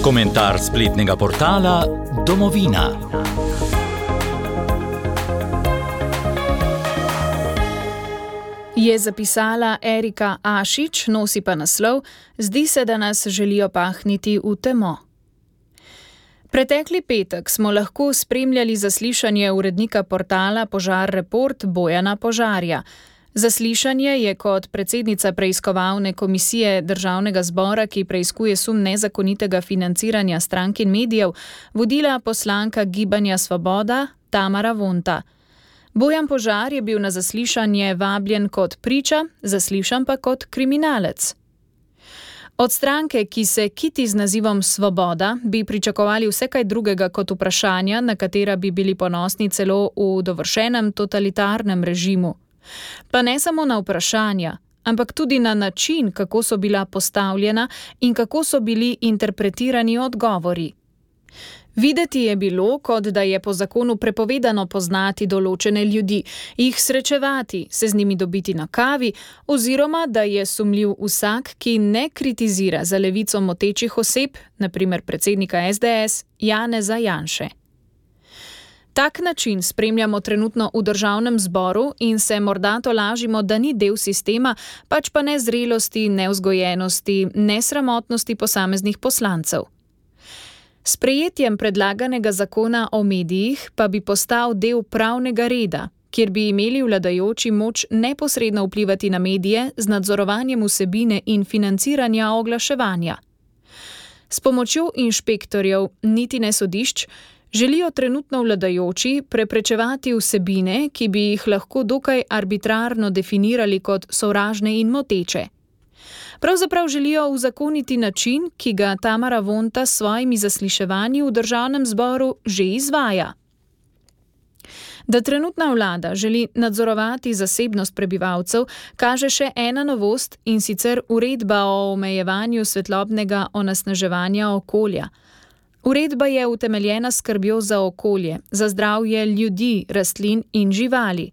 Komentar spletnega portala Domovina. Je zapisala Erika Ašič, nosi pa naslov: Zdi se, da nas želijo pahniti v temo. Pretekli petek smo lahko spremljali zaslišanje urednika portala Požar Report Bojana Požarja. Zaslišanje je kot predsednica preiskovalne komisije Državnega zbora, ki preiskuje sum nezakonitega financiranja strank in medijev, vodila poslanka Gibanja Svoboda Tamara Vonta. Bojan Požar je bil na zaslišanje vabljen kot priča, zaslišan pa kot kriminalec. Od stranke, ki se kiti z nazivom Svoboda, bi pričakovali vse kaj drugega kot vprašanja, na katera bi bili ponosni celo v dovršenem totalitarnem režimu. Pa ne samo na vprašanja, ampak tudi na način, kako so bila postavljena in kako so bili interpretirani odgovori. Videti je bilo, kot da je po zakonu prepovedano poznati določene ljudi, jih srečevati, se z njimi dobiti na kavi, oziroma da je sumljiv vsak, ki ne kritizira za levico motečih oseb, na primer predsednika SDS Janeza Janše. Tak način spremljamo trenutno v Državnem zboru in se morda tolažimo, da ni del sistema, pač pa nezrelosti, nevzgojenosti, nesramotnosti posameznih poslancev. S sprejetjem predlaganega zakona o medijih pa bi postal del pravnega reda, kjer bi imeli vladajoči moč neposredno vplivati na medije z nadzorovanjem vsebine in financiranja oglaševanja. S pomočjo inšpektorjev, niti ne sodišč, želijo trenutno vladajoči preprečevati vsebine, ki bi jih lahko dokaj arbitrarno definirali kot sovražne in moteče. Pravzaprav želijo uzakoniti način, ki ga Tamara Vonta s svojimi zasliševanji v Državnem zboru že izvaja. Da trenutna vlada želi nadzorovati zasebnost prebivalcev, kaže še ena novost, in sicer uredba o omejevanju svetlobnega onesnaževanja okolja. Uredba je utemeljena s skrbjo za okolje, za zdravje ljudi, rastlin in živali.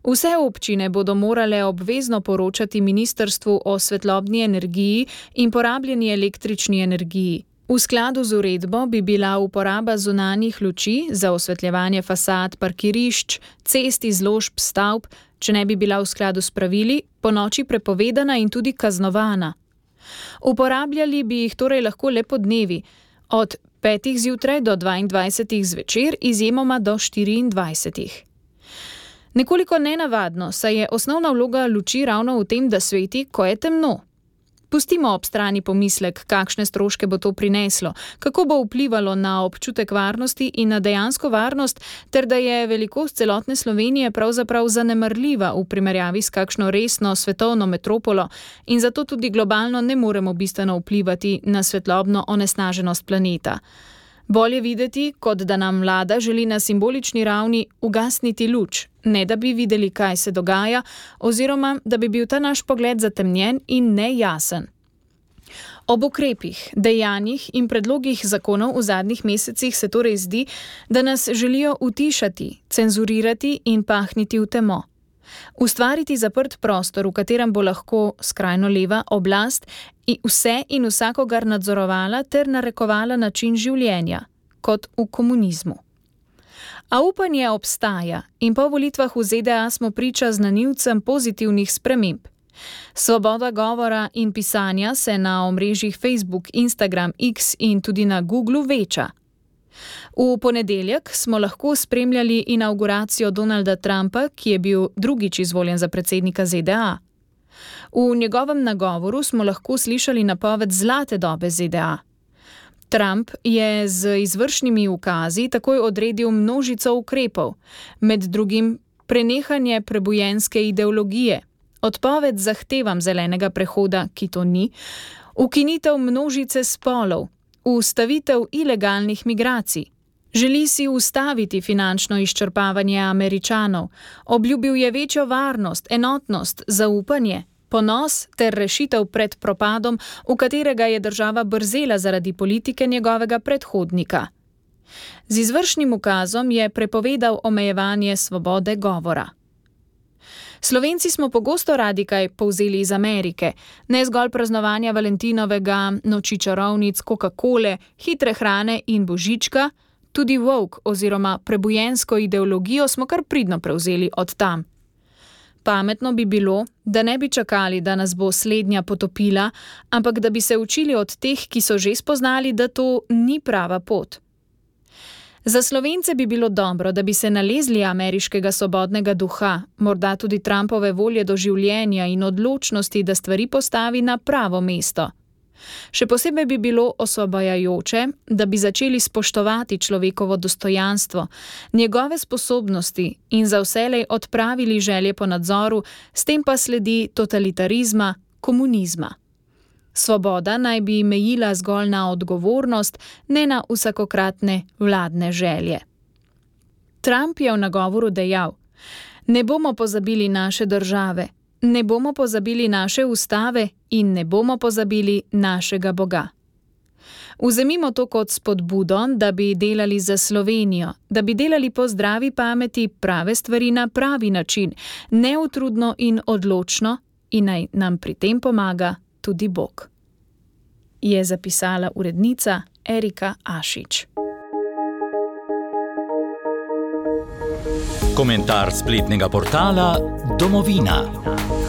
Vse občine bodo morale obvezno poročati ministrstvu o svetlobni energiji in porabljeni električni energiji. V skladu z uredbo bi bila uporaba zunanjih luči za osvetljevanje fasad, parkirišč, cest, izložb, stavb, če ne bi bila v skladu s pravili, ponoči prepovedana in tudi kaznovana. Uporabljali bi jih torej lahko le podnevi, od 5 zjutraj do 22 zvečer, izjemoma do 24. Nekoliko nenavadno, saj je osnovna vloga luči ravno v tem, da sveti, ko je temno. Pustimo ob strani pomislek, kakšne stroške bo to prineslo, kako bo vplivalo na občutek varnosti in na dejansko varnost, ter da je velikost celotne Slovenije pravzaprav zanemarljiva v primerjavi s kakšno resno svetovno metropolo in zato tudi globalno ne moremo bistveno vplivati na svetlobno onesnaženost planeta. Bolje videti, kot da nam vlada želi na simbolični ravni ugasniti luč, ne da bi videli, kaj se dogaja, oziroma da bi bil ta naš pogled zatemnjen in nejasen. Ob ukrepih, dejanjih in predlogih zakonov v zadnjih mesecih se torej zdi, da nas želijo utišati, cenzurirati in pahniti v temo. Ustvariti zaprt prostor, v katerem bo lahko skrajno leva oblast vse in vsakogar nadzorovala ter narekovala način življenja, kot v komunizmu. A upanje obstaja in po volitvah v ZDA smo priča znanilcem pozitivnih sprememb. Svoboda govora in pisanja se na omrežjih Facebook, Instagram, X in tudi na Googlu veča. V ponedeljek smo lahko spremljali inavguracijo Donalda Trumpa, ki je bil drugič izvoljen za predsednika ZDA. V njegovem nagovoru smo lahko slišali napoved zlate dobe ZDA. Trump je z izvršnimi ukazi takoj odredil množico ukrepov, med drugim prenehanje prebujenske ideologije, odpoved zahtevam zelenega prehoda, ki to ni, ukinitev množice spolov, ustavitev ilegalnih migracij. Želi si ustaviti finančno izčrpavanje Američanov, obljubil je večjo varnost, enotnost, zaupanje, ponos ter rešitev pred propadom, v katerega je država brzela zaradi politike njegovega predhodnika. Z izvršnim ukazom je prepovedal omejevanje svobode govora. Slovenci smo pogosto radi kaj povzeli iz Amerike, ne zgolj praznovanja Valentinovega, noči čarovnic, Coca-Cole, hitre hrane in božička, tudi woke oziroma prebujensko ideologijo smo kar pridno prevzeli od tam. Pametno bi bilo, da ne bi čakali, da nas bo slednja potopila, ampak da bi se učili od teh, ki so že spoznali, da to ni prava pot. Za Slovence bi bilo dobro, da bi se nalezli ameriškega svobodnega duha, morda tudi Trumpove volje do življenja in odločnosti, da stvari postavi na pravo mesto. Še posebej bi bilo osvobajajoče, da bi začeli spoštovati človekovo dostojanstvo, njegove sposobnosti in za vselej odpravili želje po nadzoru, s tem pa sledi totalitarizma, komunizma. Svoboda naj bi mejila zgolj na odgovornost, ne na vsakokratne vladne želje. Trump je v nagovoru dejal: "Ne bomo pozabili naše države, ne bomo pozabili naše ustave in ne bomo pozabili našega Boga." Vzemimo to kot spodbudo, da bi delali za Slovenijo, da bi delali po zdravi pameti prave stvari na pravi način, neutrudno in odločno, in naj nam pri tem pomaga tudi Bog. Je zapisala urednica Erika Ašič. Komentar spletnega portala Domovina.